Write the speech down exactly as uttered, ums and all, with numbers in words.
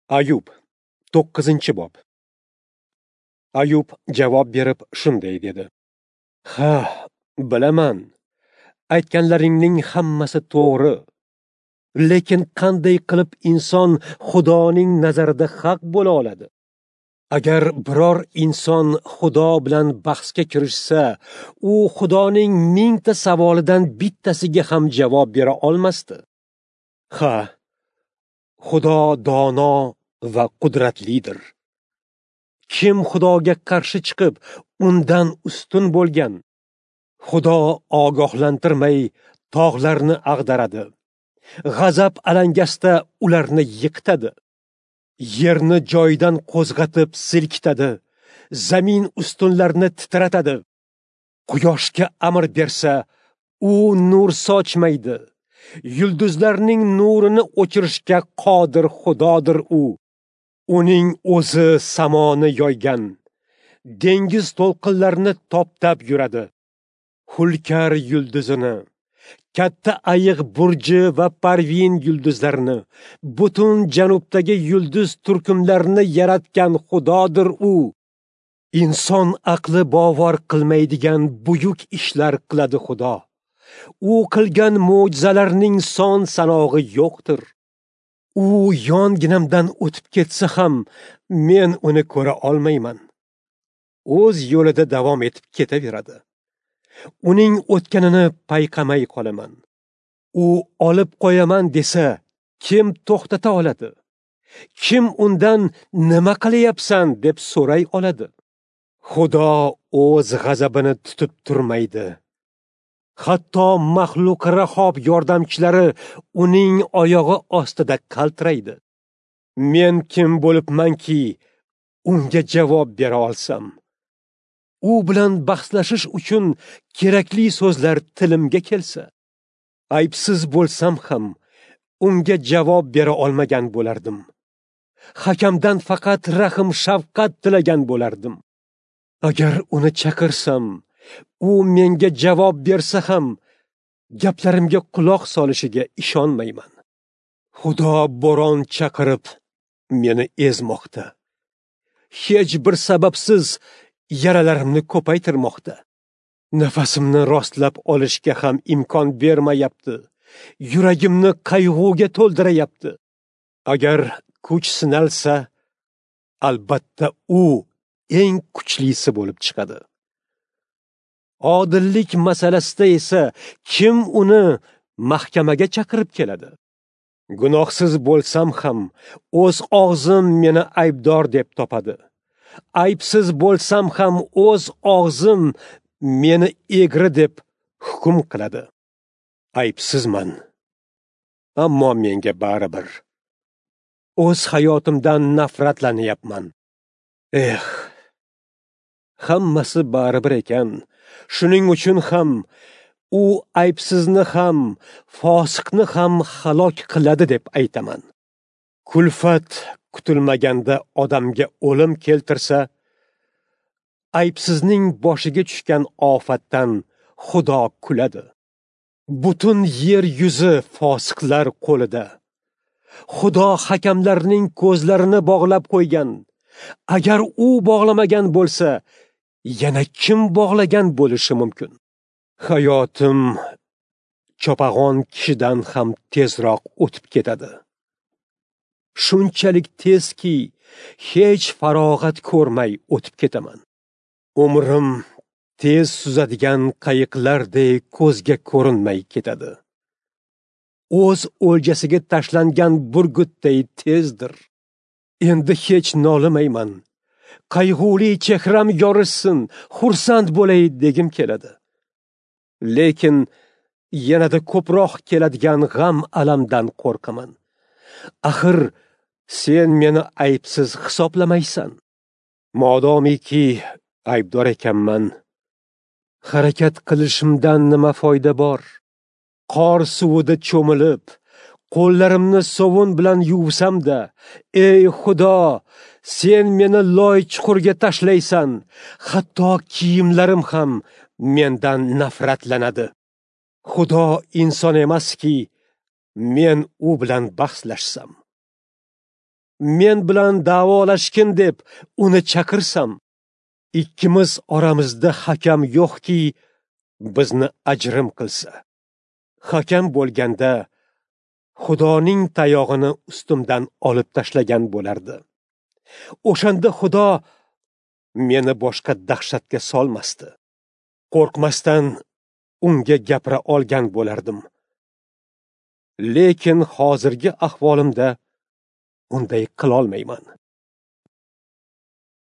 Ayub, to'qqizinchi bob. Ayub javob berib shunday dedi: Ha, bilaman, aytganlaringning hammasi to'g'ri. Lekin qanday qilib inson Xudoning nazarida haq bo'la oladi? Agar biror inson Xudo bilan bahsga kirishsa, u Xudoning mingta savolidan bittasiga ham javob bera olmasdi. Ha, Xudo dono va qudratlidir. Kim Xudoga qarshi chiqib, undan ustun bo'lgan? Xudo ogohlantirmay tog'larni ag'daradi. G'azab alangasida ularni yiqitadi. Yerni joyidan qo'zg'atib silkitadi. Zamin ustunlarini titratadi. Quyoshga amr bersa, u nur sochmaydi. Yulduzlarning nurini o'chirishga qodir Xudodir u. Uning o'zi samoni yoygan, dengiz to'lqinlarini toptab yuradi. Hulkar yulduzini, katta ayiq burji va Parvin yulduzlarini, butun janubdagi yulduz turkumlarini yaratgan Xudodir u. Inson aqli bovar qilmaydigan buyuk ishlar qiladi Xudo. U qilgan mo'jizalarning son sanog'i yo'qdir. U yonginamdan o'tib ketsa ham men uni ko'ra olmayman. O'z yo'lida davom etib ketaveradi. Uning o'tganini payqamay qolaman. U olib qo'yaman desa, kim to'xtata oladi? Kim undan nima qilyapsan deb so'ray oladi? Xudo o'z g'azabini tutib turmaydi. Hatto maxluq Rahob yordamchilari uning oyog'i ostida qaltiraydi. Men kim bo'libmanki, unga javob bera olsam? U bilan bahslashish uchun kerakli so'zlar tilimga kelsa, aybsiz bo'lsam ham unga javob bera olmagan bo'lardim. Hakamdan faqat rahm shafqat tilagan bo'lardim. Agar uni chaqirsam, u menga javob bersa ham gaplarimga quloq solishiga ishonmayman. Xudo bo'ron chaqirib meni ezmoqda. Hech bir sababsiz yaralarimni ko'paytirmoqda. Nafasimni rostlab olishga ham imkon bermayapti. Yuragimni qayg'uga to'ldirayapti. Agar kuch sinalsa, albatta u eng kuchlisi bo'lib chiqadi. Odillik masalasida esa kim uni mahkamaga chaqirib keladi? Gunohsiz bo'lsam ham o'z og'zim meni aybdor deb topadi. Aybsiz bo'lsam ham o'z og'zim meni egri deb hukm qiladi. Aybsizman, ammo menga baribir. O'z hayotimdan nafratlanyapman. Eh, hammasi baribir ekan. Shuning uchun ham u aybsizni ham, fosiqni ham halok qiladi deb aytaman. Kulfat kutilmaganda odamga o'lim keltirsa, aybsizning boshiga tushgan ofatdan Xudo kuladi. Butun yer yuzi fosiqlar qo'lida. Xudo hakamlarning ko'zlarini bog'lab qo'ygan. Agar u bog'lamagan bo'lsa, yana kim bog'lagan bo'lishi mumkin? Hayotim chopag'on kishidan ham tezroq o'tib ketadi. Shunchalik tezki, hech farog'at ko'rmay o'tib ketaman. Umrim tez suzadigan qayiqlardek ko'zga ko'rinmay ketadi. O'z o'ljasiga tashlangan burgutday tezdir. Endi hech nolimayman. Qayg'uli chehram yorishsin, xursand bo'lay degim keladi. Lekin yanada ko'proq keladigan g'am alamdan qo'rqaman. Axir sen meni aybsiz hisoblamaysan. Modomiki aybdor ekanman, harakat qilishimdan nima foyda bor? Qor suvida cho'milib, qo'llarimni sovun bilan yuvsam-da, ey Xudo, sen meni loy chuqurga tashlaysan, hatto kiyimlarim ham mendan nafratlanadi. Xudo inson emaski, men u bilan bahslashsam. Men bilan da'volashgin deb uni chaqirsam, ikkimiz oramizda hakam yo'qki, bizni ajrim qilsa. Hakam bo'lganda Xudoning tayog'ini ustimdan olib tashlagan bo'lardi. O'shanda Xudo meni boshqa dahshatga solmasdi. Qo'rqmasdan unga gapira olgan bo'lardim. Lekin hozirgi ahvolimda unday qilolmayman.